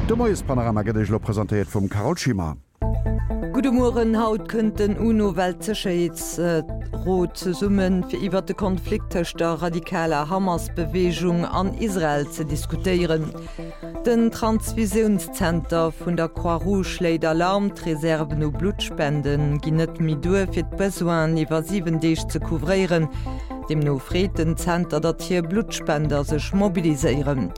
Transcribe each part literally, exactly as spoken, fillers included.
De Moiespanorama gëtt Iech elo presentéiert vum Carole Schimmer. Gudde Mueren, Haut kënnt den UNO-Weltsécherheetsrot zesummen, fir iwwert de Konflikt tëscht der radikaler Hamas-Beweegung an Israel ze diskutéieren. Den Transfusiounszenter vun der Croix-Rouge schléit Alarm, D'Reserven u Bluttspende ginn net méi duer, fir d'Besoinen iwwer siwen Deeg ze couvréieren. Deemno freet den Zenter, datt hir Bluttspender sech mobiliséieren.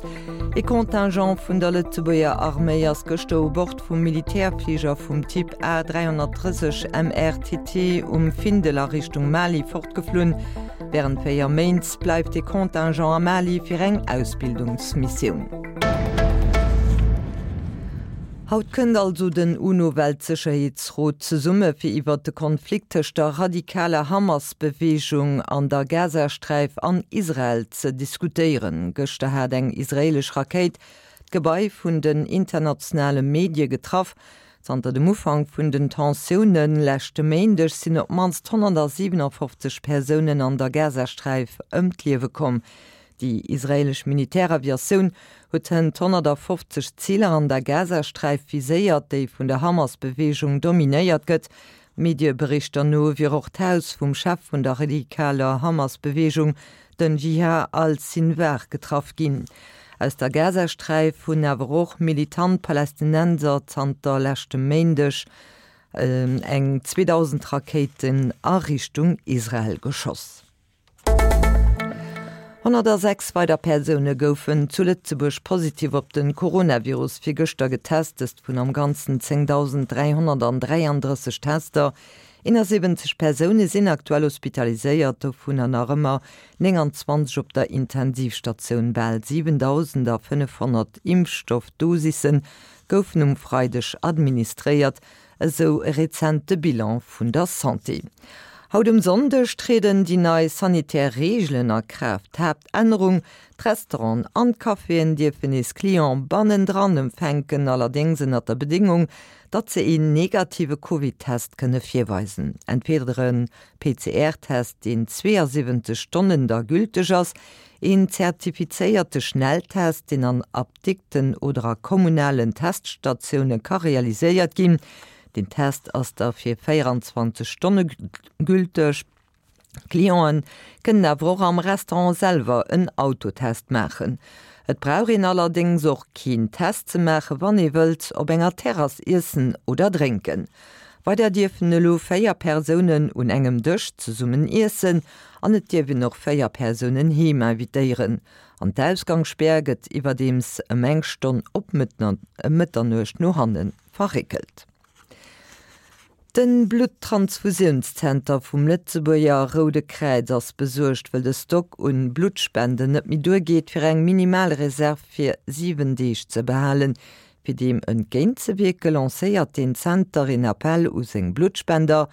E Contingent vun der Lëtzebuerger Arméi ass gëschter u Bord vum Militärfliger vum Typ A dräihonnertdrësseg M R T T um Findel a Richtung Mali fortgeflunn. Wärend véier Méint bleift de Contingent am Mali fir eng Ausbildungsmissioun. Haut kënnt also den UNO-Weltsécherheetsrot zesumme fir iwwert de Konflikt tëscht der radikaler Hamas-Beweegung an der Gazasträif an Israel ze diskutéieren. Gëschter hat eng israeelesch Rakéit d'Gebai vun den internationale Medie getraff. Zanter dem Ufank vun den Tensioune leschte Méindeg sinn op d'mannst honnertsiewenafofzeg Persounen an der Gazasträif ëm d'Liewe komm. Déi israeelesch Militäraviatioun huet hënt honnertfofzeg Ziler an der Gazasträif viséiert, déi vun der Hamas-Beweegung dominéiert gëtt. Medieberichter no wier och d'Haus vum Chef vun der radikaler Hamas-Beweegung, den Jihad al-Sinwar, getraff ginn. Aus der Gazasträif hunn awer och militant Palästinenser zanter leschtem Méindeg eng zweedausend Rakéiten a Richtung Israel geschoss. Honnertasechs weider Persoune goufen zu Lëtzebuerg positiv op de Coronavirus virgëschter getest, dëst vun am Ganzen zéngdausend dräihonnertdräiandrësseg Tester. Eenasiwwenzeg Persoune sinn aktuell hospitaliséiert, dovunner nach ëmmer nénganzwanzeg op der Intensivstatioun. Bal siwendausendfënnefhonnert Impfstoffdosisse goufen um Freideg administréiert, esou e rezente Bilan vun der Santé. Haut um Sonndeg trieden déi nei sanitär Reegelen a Kraaft. Haaptännerung, D'Restauranten an d'Caféen dierfen nees Cliente bannendran empfänken, allerdéngs ënnert der Bedéngung, datt se een negative Covid-Test kënne virweisen. Entweder e P C R-Test, deen zweeasiwwenzeg Stonnen da gülteg ass, een zertifizéierte Schnelltest, deen an Apdikten oder a kommunalen Teststatioune ka realiséiert ginn. Den Test ass da fir véieranzwanzeg Stonne gülteg. Clienten kënnen awer och am Restaurant selwer en Autotest maachen. Et brauch een allerdéngs och keen Test ze maachen, wann ee wëllt op enger Terrass iessen oder drénken. Weider dierfen elo véier Persounen un engem Dësch zesummen iessen an et dierf een och véier Persounen heem invitéieren. An d'Ausgangsspär gëtt iwwerdeems ëm eng Stonn op Mëtternuecht no hanne verréckelt. Den Bluttransfusiounszenter vum Lëtzebuerger Roude Kräiz ass besuergt, wëll de Stock un Bluttspenden net méi duergeet, fir eng minimal Reserv fir siwen Deeg ze behalen. Fir deem entgéintzewierke lancéiert den Zenter een Appell u seng Bluttspender.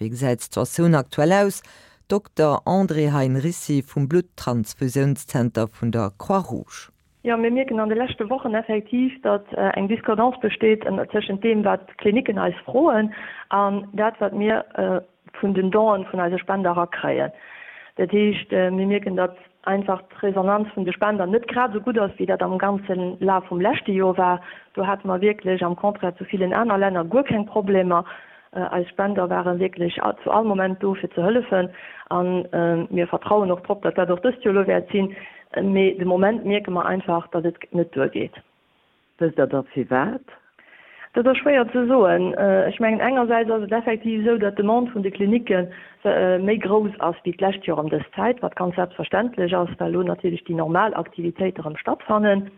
Wéi gesäit d'Situatioun aktuell aus? Dokter Andrée Heinricy vum Bluttransfusiounszenter vun der Croix-Rouge. Jo, mir mierken an de leschte Wochen effektiv, datt eng Discordance besteet tëschent deem, wat d'Klinicken eis froen, an dat, wat mir vun den Donen vun eise Spender erakréien. Dat heescht, mir mierken, datt einfach d'Resonanz vun de Spender net grad esou gutt ass, wéi dat am ganze Laf vum leschte Joer war. Do hate mer wierklech am Contraire zu villen aner Länner guer keng Problemer. Eis Spender ware wierklech zu all Moment do, fir ze hëllefen. A mir vertrauen och drop, datt dat och dëst Joer elo wäert sinn. Mee de Moment mierke mer einfach, datt et net duergeet. Wësst Der da firwat? Dat ass schwéier ze soen. Ech mengen, engersäits ass et effektiv esou, datt d'Demande vun de Klinicke méi grouss ass wéi d'lescht Joer ëm dës Zäit, wat ganz selbstverständlech ass, well elo natierlech déi normal Aktivitéite erëm stattfannen.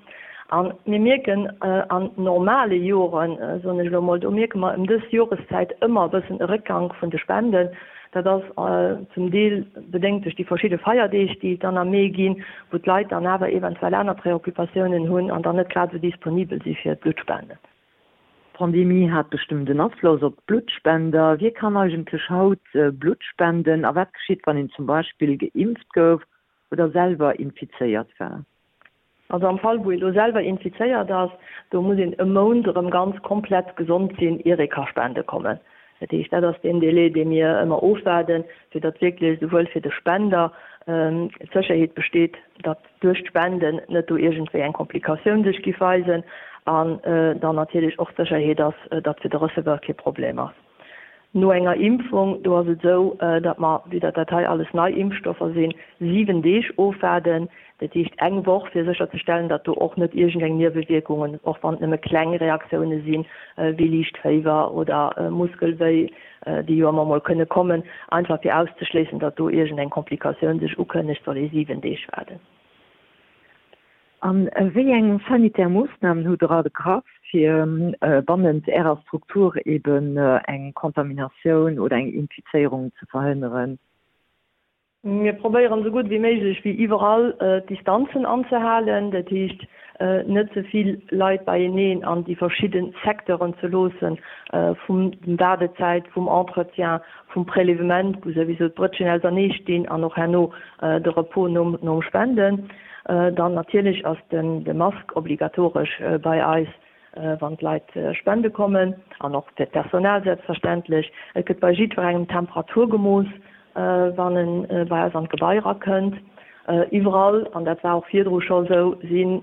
A mir mierken an normale Joren, soen ech elo mol, do mierke mer ëm dës Joreszäit ëmmer e bëssen e Réckgank vun de Spenden. Dat ass zum Deel bedéngt duerch déi verschidde Feierdeeg, déi et dann am Mee ginn, wou d'Leit dann awer eventuell aner Preoccupatiounen hunn an dann net grad esou disponibel si fir d'Bluttspenden. D'Pandemie hat bestëmmt en Afloss op d'Bluttspender. Wie kann eigentlech haut Blutt spenden a wat geschitt, wann een zum Beispill geimpft gouf oder selwer infizéiert war? Also am Fall wou ee lo selwer infizéiert ass, do muss een e Mount erëm ganz komplett gesond sinn, ier ee ka spende kommen. Dat heescht, dat ass deen Délai, dee mir ëmmer ofwaarden, fir datt wierklech souwuel fir de Spender d'Sécherheet besteet, datt duerch d'Spenden net do iergendwéi eng Komplikatioun sech giff weisen, an dann natierlech och d'Sécherheet ass, datt fir de Receveur kee Problem ass. No enger Impfung, do ass et esou, datt mer, vue datt dat hei alles nei Impfstoffer sinn, siwen Deeg ofwaarden, dat heescht eng Woch, fir sécherzestellen, datt do och net iergendeng Niewewierkungen, och wann et nëmme kleng Reaktioune sinn, wéi liicht Féiwer oder Muskelwéi, déi jo ëmmer mol kënne kommen, einfach fir auszeschléissen, datt do iergendeng Komplikatioun sech ukënnegt, soll ee siwen Deeg waarden. A wéi eng sanitär Moossnamen hutt Der ergraff, fir bannent Ärer Struktur eben eng Kontaminatioun oder eng Infizéierung ze verhënneren? Mir probéieren esou gutt wéi méiglech, wéi iwwerall, d'Distanzen anzehalen, dat heescht net ze vill Leit beieneen an déi verschidde Secteuren ze loossen, vum Waardezäit, vum Entretien, vum Prélèvement, wou souwisou d'Brëtschen ausernee stinn, an och herno de Repos nom Spenden. Dann natierlech ass de Mask obligatoresch bei eis, wann d'Leit spende kommen, an och fir d'Personal selbstverständlech. Et gëtt bei jiddwerengem d'Temperatur gemooss, wann e bei eis an d'Gebai erakënnt. Iwwerall, an dat war och virdru scho sou, sinn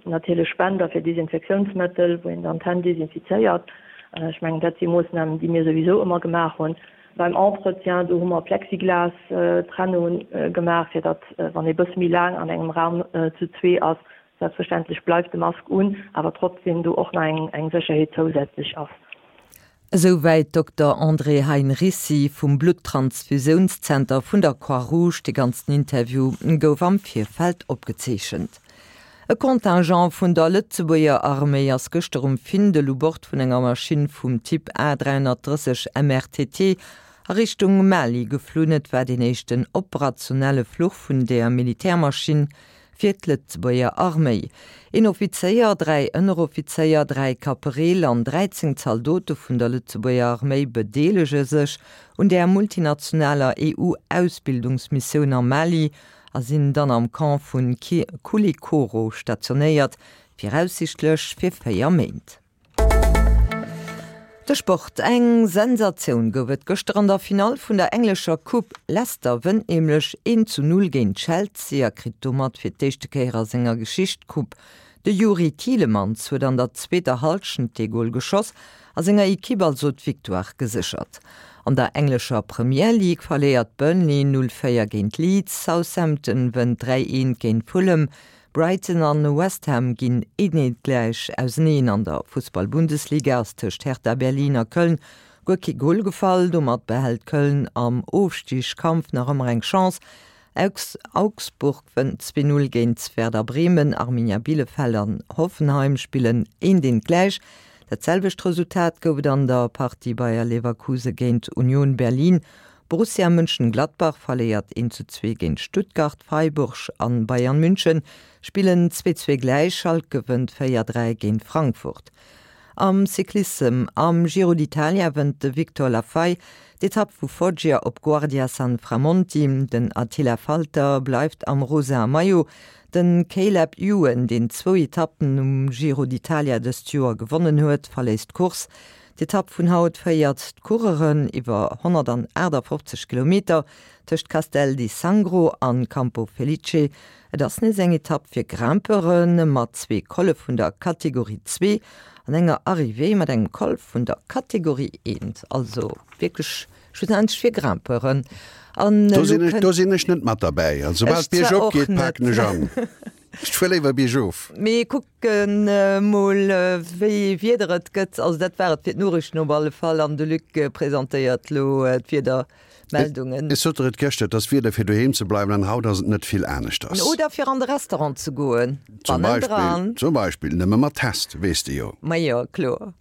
natierlech Spender fir Desinfektiounsmëttel, wou een dann d'Hänn desinfizéiert. Ech mengen, dat si Moossnamen, déi mir souwisou ëmmer gemaach hunn. Beim Entretien, do hu mer Plexiglas-Trennung gemaach, fir datt, wann ee bësse méi laang an engem Raum zu zwee ass, selbstverständlech bleift de Mask un, awer trotzdem do och nach eng Sécherheet zousätzlech ass. Esouwäit Dokter André Heinricy vum Blutttransfusiounszenter vun der Croix-Rouge. De ganzen Interview gouf am Virfeld opgezeechent. E Contingent vun der Lëtzebuerger Arméi ass gëschter um Findel u Bord vun enger Maschinn vum Typ A dräihonnertdrësseg M R T T a Richtung Mali geflunn. Et war deen éischten operationelle Fluch vun där Militärmaschinn fir d'Lëtzebuerger Arméi. Een Offizéier, dräi Ënneroffizéier, dräi Kapereel an dräizéng Zaldote vun der Lëtzebuerger Arméi bedeelege sech un där multinationaler E U-Ausbildungsmissioun am Mali a sinn dann am Camp vu Koulikoro stationéiert, viraussiichtlech fir véier Méint. De Sport, Eng Sensatioun gouf et gëschter an der Finall vun der englescher Coupe. Leicester wënnt nämlech een zu null géint Chelsea a kritt domat fir d'éischte Kéier a senger Geschicht d'Coupe. De Youri Tielemans huet an der zweeter Hallschent de Gol geschoss a senger Ekipp also d'Victoire geséchert. An der englescher Premier League verléiert Burnley null véier géint Leeds, Southampton wënnt dräi eent géint Fulham, Brighton an West Ham ginn eent eent gläich auseneen. An der Fussball-Bundesliga ass tëscht Hertha Berlin a Köln guer kee Gol gefall. Domat behält Köln am Ofstigskampf nach ëmmer eng Chance. Augsburg wënnt zwee Null géint Werder Bremen, Arminia Bielefeld an Hoffenheim spillen eent eent gläich. Dat selwecht Resultat gouf et an der Partie Bayer Leverkusen géint Union Berlin. Borussia Mönchengladbach verléiert eent zu zwee géint Stuttgart, Freiburg an Bayern München spillen zwee zwee gläich, Schalke gewënnt véier dräi géint Frankfurt. Am Cyclissem, Am Giro d'Italia wënnt de Victor Lafay d'Etapp vu Foggia op Guardia Sanframondi. Den Attila Valter bleift am rosa Maillot. Den Caleb Ewan, deen zwou Etappen um Giro d'Italia dëst Joer gewonnen huet, verléisst d'Course. D'Etapp vun haut féiert d'Coureuren iwwer honnertaachtafoffzeg Kilometer tëscht Castel di Sangro an Campo Felice. Et ass nees eng Etapp fir Grimpeuren, mat zwee Colle vun der Kategorie zwee an enger Arrivée mat engem Col vun der Kategorie eent. Also wierklech schlussendlech fir Grimpeuren. An Do elo sinn ech, kënnt do sinn ech net mat derbäi. Also soubal Ech zwar d'Bierg och opgeet, net. paken ech an. Ech fuer léiwer biergof. Mee kucken mol wéi Wieder et gëtt. Also dat war et fir d'Noriichten op alle Fall an de Luc presentéiert lo d'Wiedermeldungen. Ech sot der et gëschter, et ass Wieder fir doheem ze bleiwen an haut ass et net vill aneschters. Oder fir an de Restaurant ze goen. Zum Beispill, Bannendran. zum Beispill, nëmme mat Test, weess de jo. Majo, kloer.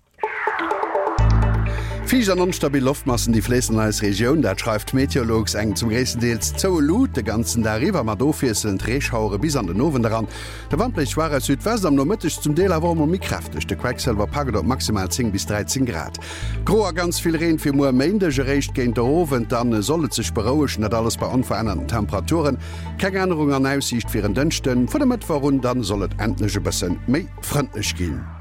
Fiicht an onstabil Loftmassen, déi fléissen an eis Regioun, dat schreift Meteolux. Eng zum gréissten Deels zoue Luut de ganzen Dag iwwer, mat ofwiesselnd Reeschauere bis an den Owend eran. De Wand bléist schwaach aus Südwest, am Nomëtteg zum Deel awer och mol méi kräfteg. De Quecksëlwer packt et op maximal zéng bis dräizéng Grad. Gro a ganz vill Reen fir muer Méindeg, eréischt géint de Owend dann soll et sech berouegen, dat alles bei onverännerten Temperaturen. Keng Ännerung an Aussiicht fir en Dënschden. Vun e Mëttwoch un dann soll et endlech e bësse méi frëndlech ginn.